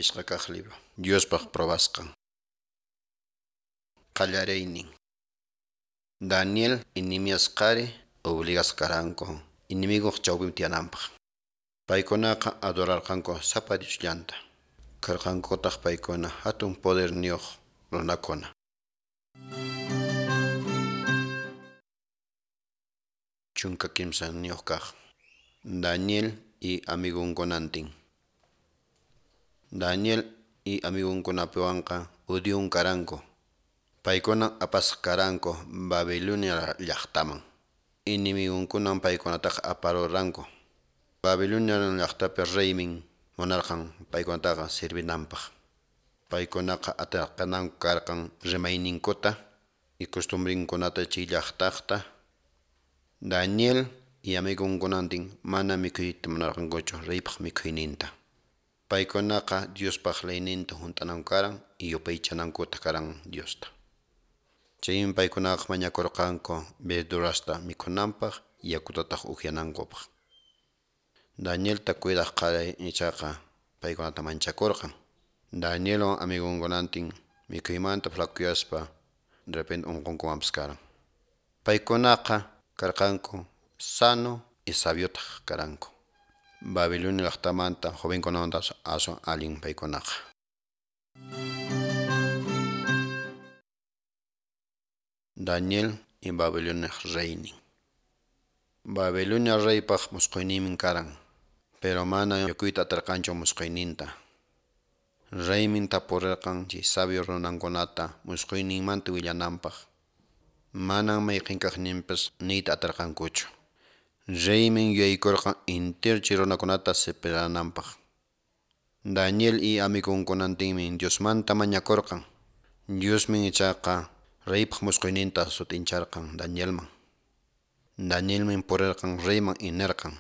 Pishqa kaq libro. Diospaq probasqan. Qallariynin. Daniel y Nehemías qhari obligasqa karanku enemiguq chawpinpi tiyananpaq. Paykunaqa adorarqanku sapa Diosllanta. Karqankutaq paykuna hatun poderniyuq runakuna. 13 kaq. Daniel y amigunkunantin. Daniel y amigunkunapiwanqa judíon karanku. Paykuna apasqa karanku Babilonia llaqtaman. Enemigunkunan paykunataqa aparuranku. Babilonia llaqtapi reymin munarqan paykunataqa servinanpaq. Paykunaqa atirqananku karqan rimayninkuta y costumbrinkunata chay llaqtaqta. Daniel y amigunkunantin mana mikhuyta munarqankuchu reypaq mikhuyninta. Paykunaqa Diospaq leyninta hunt'ananku karan y yupaychanankuta karan Diosta. Chaymi paykunaqa mañakurqanku verdurasta mikhunanpaq yakutataq upyanankupaq. Danielta cuidaq qhari ichaqa paykunata manchakurqan. Danielwan amigunkunantin mikhuymanta flakuyaspa de repente unqunkumanpas karan. Paykunaqa karqanku sano y sabiotaq karanku. Babilonia llaqtamanta jovenkunamanta aswan allin paykunaqa. Daniel y Babiloniaq reynin. Babilonia reypaq musquyninmi karan, pero mana yukuyta atirqanchu musquyninta. Reymin tapurirqan chay sabio runankunata musquyninmanta willananpaq. Manan mayqin kaqninpas niyta atirqankuchu. Reymin yuyaykurqan entero chay runakunata separananpaq. Daniel y amigunkunantinmi Diosmanta mañakurqan. Diosmi ichaqa reypaq musquyninta sut'incharqan Danielman. Danielmi purirqan reyman y nirqan: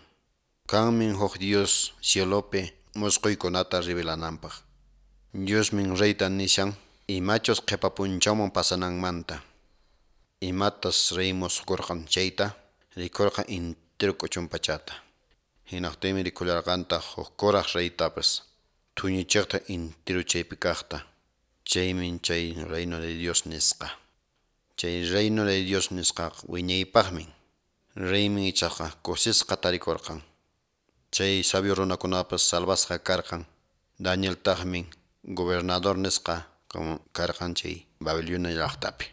Kanmi huk Dios cielopi musquykunata revelananpaq. Diosmi reyta nishan imachus qhipa p'unchawman pasananmanta. Imatas rey musqurqan chayta rikurqan entero k'uchun pachata. Hinaqtinmi rikullarqantaq huk kuraq reytapas thuñichiqta entero chaypi kaqta. Chaymi chay reino de Dios nisqa. Chay reino de Dios nisqaqa wiñaypaqmi. Reymi ichaqa kusisqa tarikurqan. Chay sabio runakunapas salvasqa karqan. Danieltaqmi gobernador nisqa karqan chay Babilonia llaqtapi.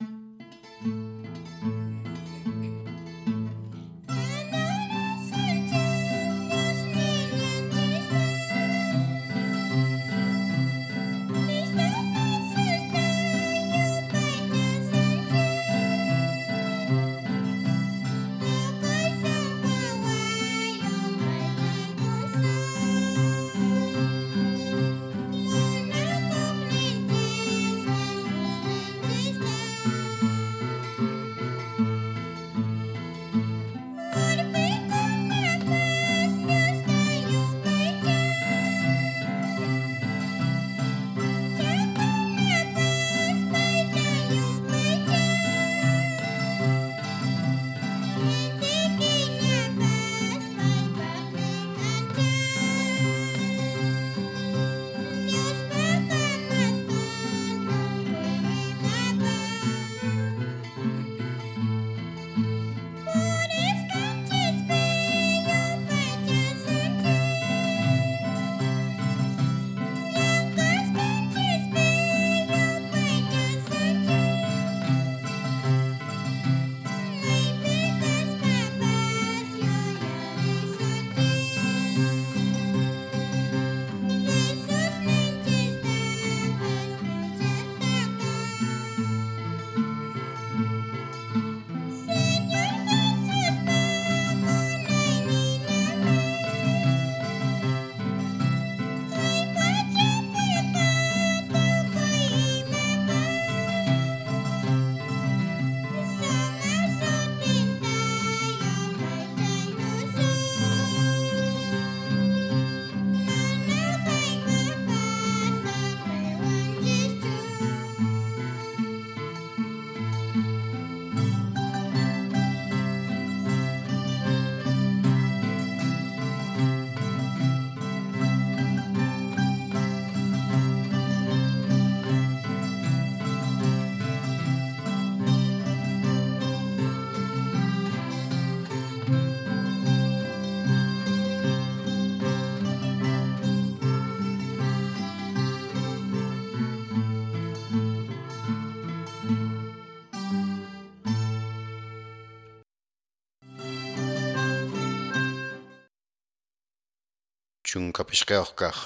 15 kaq.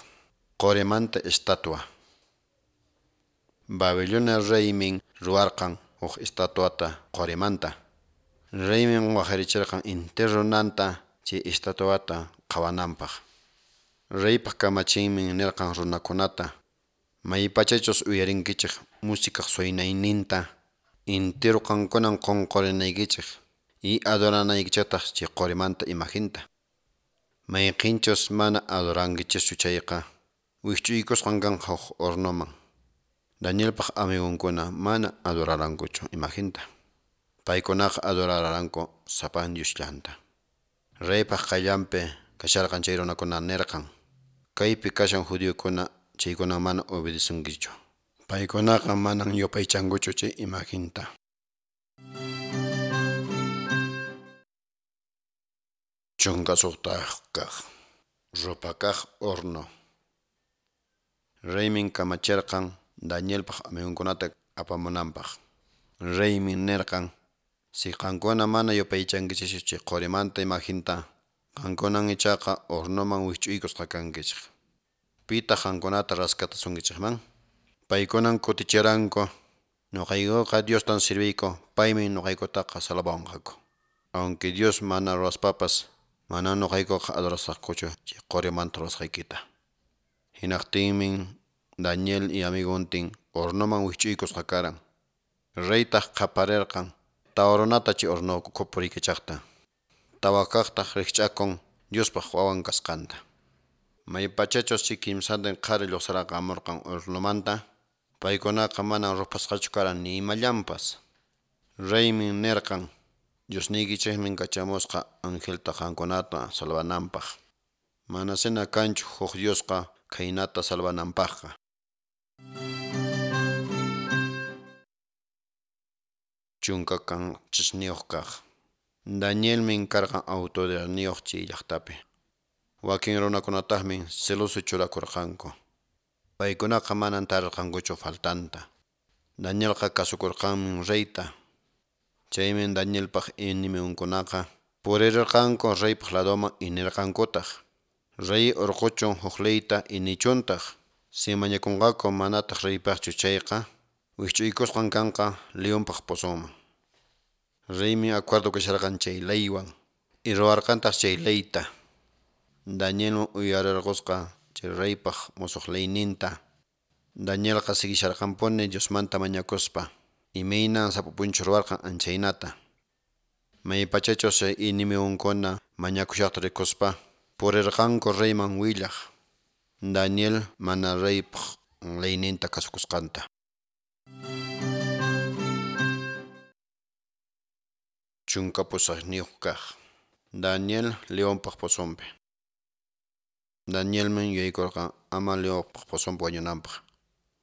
Qorimanta estatua. Babilonia reymin ruwarqan huk estatuata qorimanta. Reymin waqarichirqan intero runanta chay estatuata qhawananpaq. Reypaq kamachinmi nirqan runakunata: Maypachachus uyarinkichik musikaq suynayninta, intero qankunan qunqurinaykichik y adoranaykichiktaq chay qorimanta imajinta. Mayqinchus mana adorankichischu chayqa, wikch'uykusqan kanqa huk hornoman. Danielpaq amigunkuna mana adorarankuchu imajinta. Paykunaqa adoraranku sapan Diosllanta. Reypaq qayllanpi kasharqan chay runakuna nirqan: Kaypi kashan judiokuna, chaykuna mana obedesunkichu. Paykunaqa manan yupaychankuchu chay imajinta. 16 kaq. Ruphakaq horno. Reymin kamachirqan Danielpaq amigunkunata apamunanpaq. Reymi nirqan: Si qankuna mana yupaychankichischu chay qorimanta imajinta, qankunan ichaqa hornoman wikch'uykusqa kankichik. Pitaq qankunata raskatasunkichikman? Paykunan kutichiranku: Nuqaykuqa Diostan sirviyku, paymi nuqaykutaqa salvawanqaku. Aunque Dios mana ruwaspapas, manan nuqaykuqa adorasaqkuchu chay qorimanta ruwasqaykita. Hinaqtinmi Daniel y amiguntin hornoman wikch'uykusqa karan. Reytaq qaparirqan tawa runata chay horno ukhupi puriykachaqta. Tawa kaqtaq rikch'akun Diospaq wawan kasqanta. Maypachachus chay kimsantin qhari lluqsirqamurqan hornomanta, paykunaqa manan ruphasqachu karan ni imallanpas. Reymi nirqan: Diosniykichikmi kachamusqa angelta qankunata salvananpaq. Manasina kanchu huk Diosqa khaynata salvananpaqqa. 17 kaq. Danielmi karqan autoridadniyuq chay llaqtapi. Wakin runakunataqmi celoso churakurqanku. Paykunaqa manan tarirqankuchu faltanta. Danielqa kasukurqanmi reyta. Chaymi Danielpaq enemigonkunaqa purirqanku reypaq ladoman y nirqankutaq: Rey urquchun huk leyta y nichuntaq, si mañakunqaku manataq reypaqchu chayqa, wikch'uykusqan kanqa leonpaq pozonman. Reymi acuerdo kasharqan chay leywan y ruwarqantaq chay leyta. Danielmi uyarirqusqa chay reypaq musuq leyninta. Danielqa siguisharqanpuni Diosmanta mañakuspa, imaynan sapa p'unchaw ruwarqan anchaynata. Maypachachus chay enemigonkuna mañakushaqta rikuspa, purirqanku reyman willaq Daniel mana reypaq leyninta kasukusqanta. 18 kaq. Daniel leonpaq pozonpi. Danielmi yuyaykurqan ama leonpaq pozonpi wañunanpaq,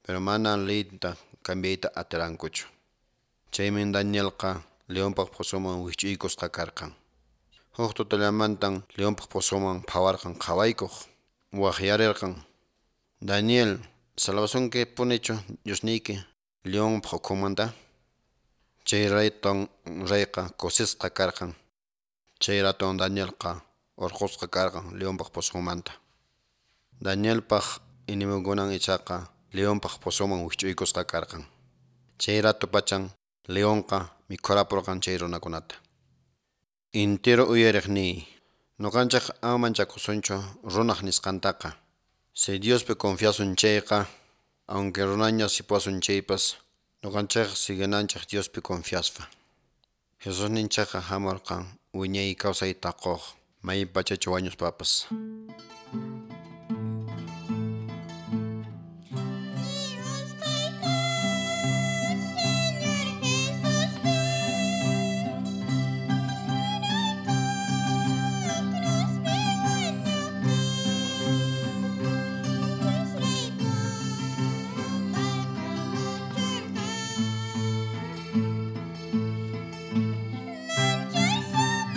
pero mana leyta cambiayta atirankuchu. Chaymi Danielqa leonpaq pozonman wikch'uykusqa karqan. Huk tutallamantan leonpaq pozonman phawarqan qhawaykuq, waqyarirqan: Daniel, salvasunki punichu Diosniyki leonpaq ukhunmanta? Chay raton reyqa kusisqa karqan. Chay raton Danielqa urqusqa karqan leonpaq pozonmanta. Danielpaq enemigonkunan ichaqa leonpaq pozonman wikch'uykusqa karqan. Chay rato pachan leonqa mikhurapurqan chay runakunata. Intero uyariqniy, nuqanchik ama manchakusunchu runaq nisqantaqa. Si Diospi confiasun chayqa, aunque runaña sipuasun chaypas, nuqanchikqa siguinanchik Diospi confiaspa. Jesusninchikqa hamurqan wiñay kawsayta quq maypachachu wañuspapas. Manchay sumaq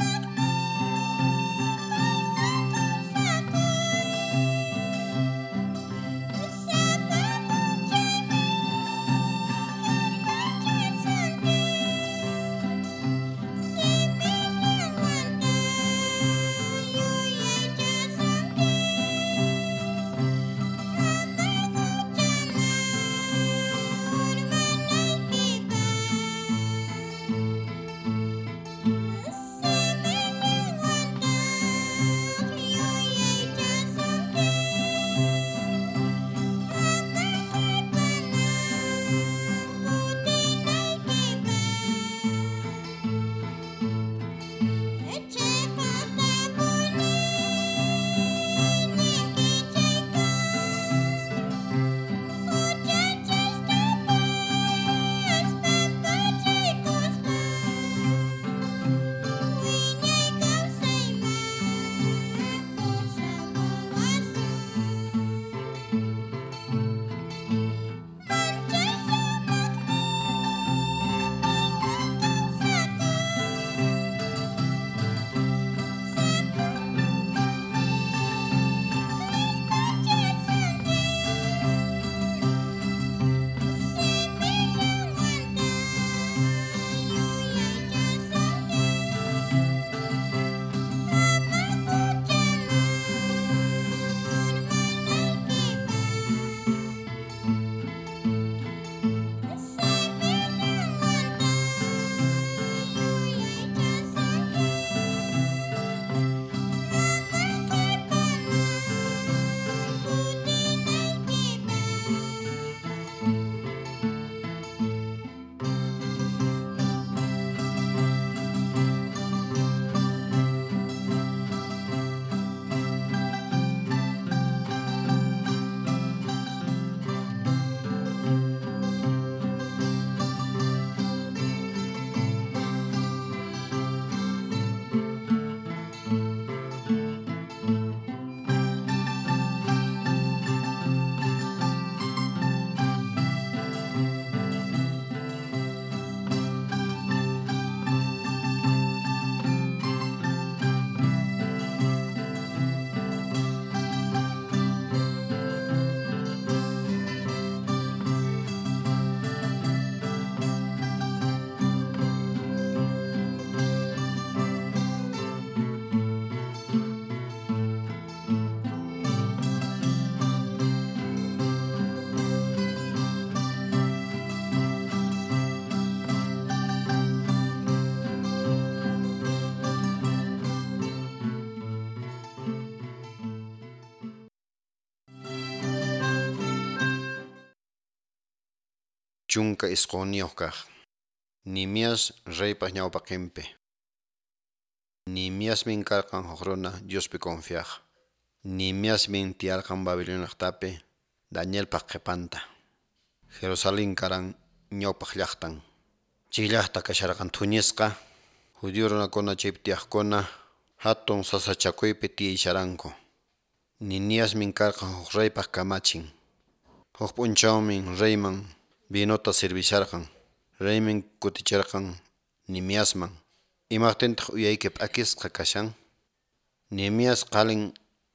19 kaq. Nehemías reypaq ñawpaqinpi. Nehemiasmi karqan huk runa Diospi confiaq. Nehemiasmi tiyarqan Babilonia llaqtapi Danielpaq qhipanta. Jerusalén karan ñawpaq llaqtan. Chay llaqta kasharqan thuñisqa, judío runakuna chaypi tiyaqkuna hatun sasachakuypi tiyasharanku. Nehemiasmi karqan huk reypaq kamachin. Huk p'unchawmi reyman vinota servisharqan. Reymi kutichirqan Nehemiasman. Imaqtintaq uyayki p'akisqa kashan? Nehemías qalin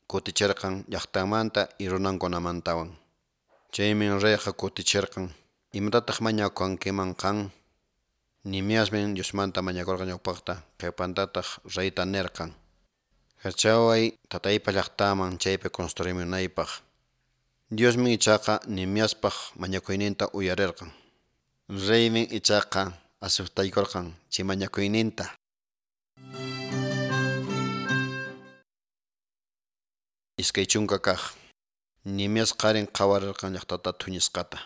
kutichirqan llaqtanmanta y runankunamantawan. Chaymi reyqa kutichirqan, imatataq mañakunkiman qan? Nehemiasmi Diosmanta mañakurqan ñawpaqta, qhipantataq reyta nirqan. Kachaway tataypa llaqtaman chaypi construimunaypaq. Diosmi ichaqa Nehemiaspaq mañakuyninta uyarirqan. Reymi ichaqa aceptaykurqan chay mañakuyninta. 20 kaq. Nehemías qarin qhawarirqan llaqtata thuñisqata.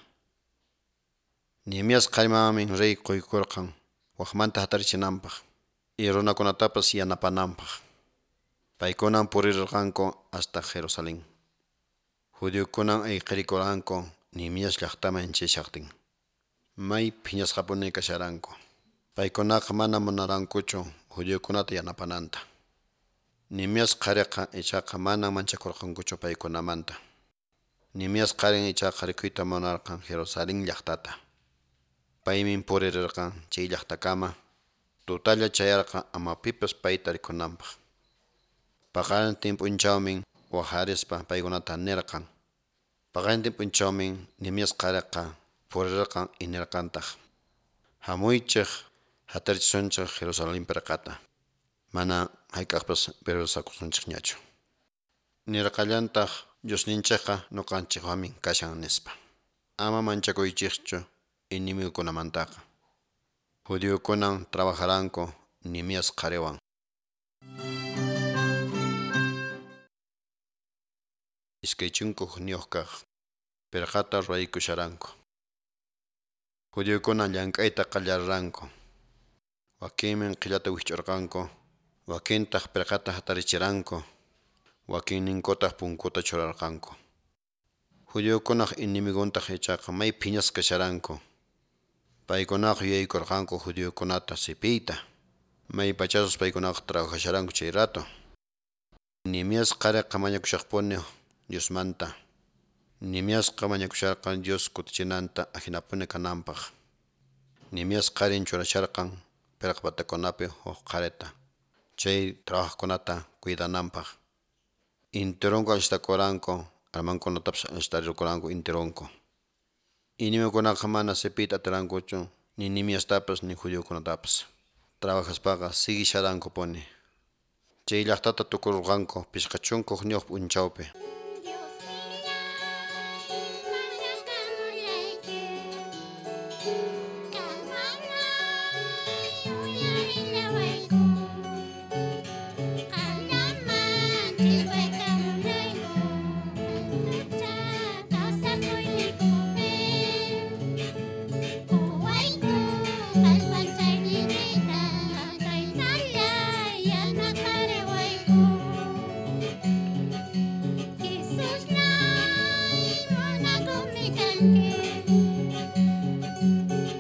Nehemías qharimanmi rey quykurqan wakmanta hatarichinanpaq y runakunatapas yanapananpaq. Paykunan purirqanku hasta Jerusalén. Judiokunan ayqirikuranku Nehemías llaqtaman chayashaqtin. May phiñasqapuni kasharanku. Paykunaqa mana munarankuchu judiokunata yanapananta. Nehemías qhariqa ichaqa mana manchakurqankuchu paykunamanta. Nehemías qarin ichaqa rikuyta munarqan Jerusalén llaqtata. Paymi purirqan chay llaqtakama, tutalla chayarqan ama pipas payta rikunanpaq. Paqarintin p'unchawmi waqharispa paykunata nirqan. Paqarintin p'unchawmi Nehemías qhariqa purirqan y nirqantaq: Hamuychik hatarichisunchik Jerusalén pirqata. Mana hayk'aqpas pirwasakusunchikñachu. Nirqallantaq Diosninchikqa ñuqanchikwanmi kashan nispa. Ama manchakuychikchu enemigukunamantaqa. Judiokunan trabajaranku Nehemías qhariwan. 21 kaq. Pirqata ruwaykusharanku. Judiokunan llank'ayta qallariranku. Wakinmi qhillata wikch'urqanku, wakintaq pirqata hatarichiranku, wakinninkutaq punkuta churarqanku. Judiokunaq enemiguntaq ichaqa may phiñasqa kasharanku. Paykunaqa yuyaykurqanku judiokunata sipiyta. May pachasus paykunaqa trabajasharanku chay rato. Nehemías qhariqa mañakushaqpuni Diosmanta. Nehemiasqa mañakusharqan Dios kutichinanta ahinapuni kananpaq. Nehemías qarin churasharqan pirqa patakunapi huk qharita, chay trabajaqkunata cuidananpaq. Intironku allistakuranku, armankunatapas allistarirkuranku intironku. Enemigukunaqa mana sipiyta atirankuchu ni Nehemiastapas ni judiokunatapas. Trabajaspaqa siguisharankupuni. Chay llaqtata tukurqanku 51 p'unchawpi. Thank you.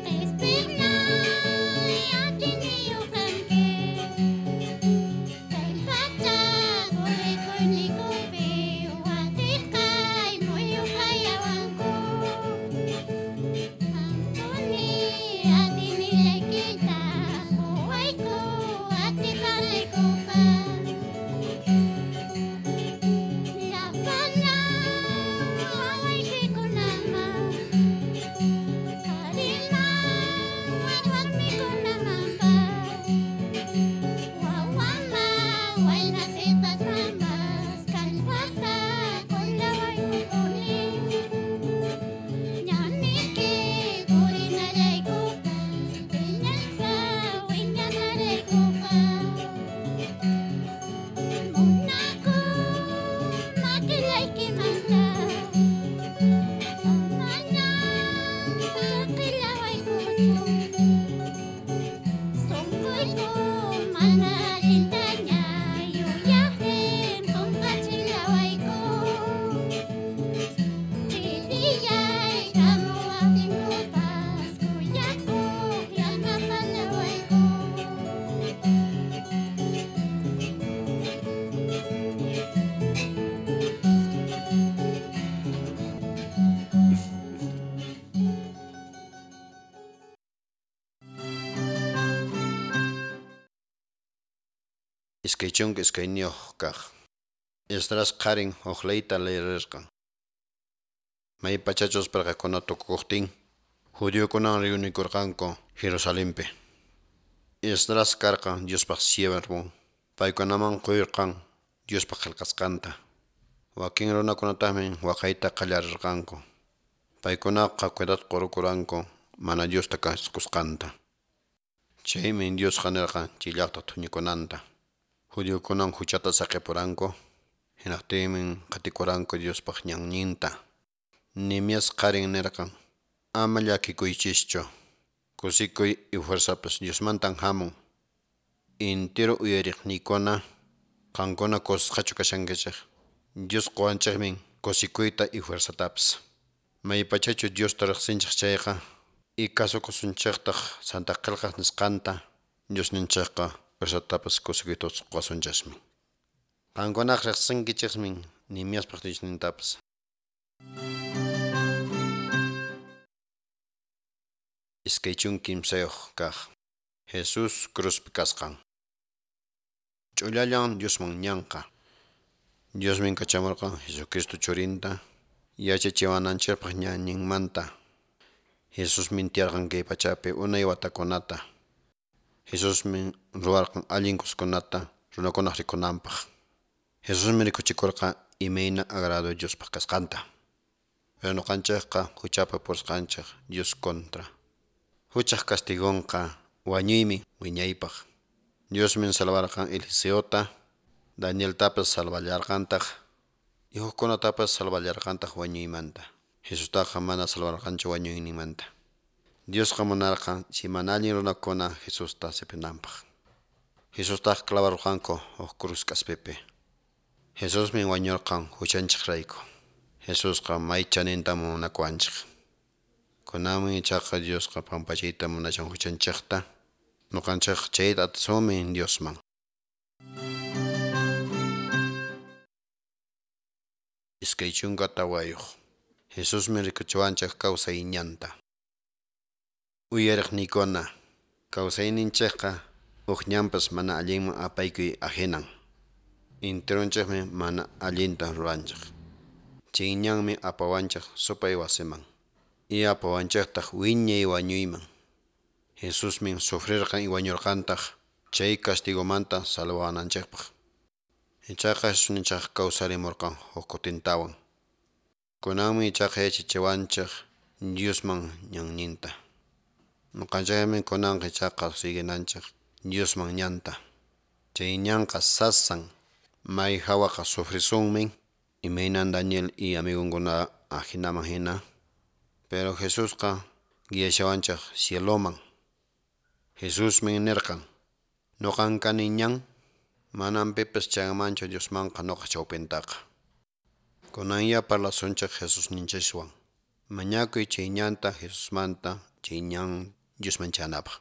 Sunquyku mana allintaña yuyaqtin qunqachillawayku. Ch'illiyaykamuwaqtinkupas khuyakuq yanapallawayku. 22 kaq. Esdras qharin huk leyta leerirqan. May pachachus perqakuna tukukuqtin, judiokunan reunikurqanku Jerusalenpi. Esdras karqan Diospaq siervon, paykunaman quyirqan Diospaq qillqasqanta. Wakin runakunataqmi waqayta qallarirqanku. Paykunaqa cuidado qurukuranku mana Diosta kasukusqanta. Chaymi Diosqa nirqan chay llaqta thuñikunanta. Judiokunan huchata saqipuranku, hinaqtinmi qatikuranku Diospaq ñanninta. Nehemías qharin nirqan: Ama llakikuychischu, kusikuy y fuerzapas Diosmantan hamun. Entero uyariqniykuna, qankuna kusisqachu kashankichik? Dios quwanchikmi kusikuyta y fuerzatapas. Maypachachu Diosta riqsinchik chayqa y kasukusunchiktaq Santa Qillqaq nisqanta, Diosninchikqa fuerzatapas kusikuytapas quwasunchikmi. Qankunaqa riqsinkichikmi Nehemiaspaq Diosnintapas. 23 kaq. Jesús cruzpi kasqan. Ch'ullallan Diosman ñanqa. Diosmin kachamurqan Jesucristo churinta yachachiwananchikpaq ñanninmanta. Jesusmin tiyarqan kay pachapi unay watakunata. Jesusmin ruwarqan allin kuskunata runakunaq rikunanpaq. Jesusmi rikuchikurqa imayna agrado Diospaq kasqanta. Pero ñuqanchikqa huchapi purisqanchik Dios contra. Huchaq castigonqa wañuymi wiñaypaq. Diosmin salvarqan Eliseota, Danieltapas salvallarqantaq y hukkunatapas salvallarqantaq wañuymanta. Jesustaqa mana salvarqanchu wañuyninmanta. Diosqa munarqan chay mana allin runakuna Jesusta sipinanpaq. Jesustaq clavarqanku huk cruz k'aspipi. Jesusmi wañurqan huchanchikrayku. Jesusqa may chaninta munakuwanchik. Kunanmi ichaqa Diosqa pampachayta munashan huchanchikta. Ñuqanchik chayta atisunmi Diosman. 24. Jesusmi rikuchiwanchik kawsay ñanta. Uyariqniykuna, kawsayninchikqa huk ñanpas mana allinman apaykuy ahinan. Enteronchikmi mana allinta ruranchik. Chay ñanmi apawanchik supay wasiman. Y apawanchiktaq wiñay wañuyman. Jesusmi sufrirqan y wañurqantaq chay castigomanta salvawananchikpaq. Ichaqa Jesusninchik kawsarimurqan huk kutintawan. Kunanmi ichaqa yachachiwanchik Diosman ñanninta. Ñuqanchikmi kunanqa ichaqa siguinanchik Diosman ñanta. Chay ñanqa sasan, may hawaqa sufrisunmi, imaynan Daniel y amigonkuna ahinaman hina. Pero Jesusqa guiashawanchik cieloman. Jesusmi nirqan: Ñuqan kani ñan, manam pipas chayanmanchu Diosmanqa ñuqa chawpintaqa. Kunanya parlasunchik Jesusninchikwan. Mañakuy chay ñanta Jesusmanta chay ñan Diosman chayanapaq.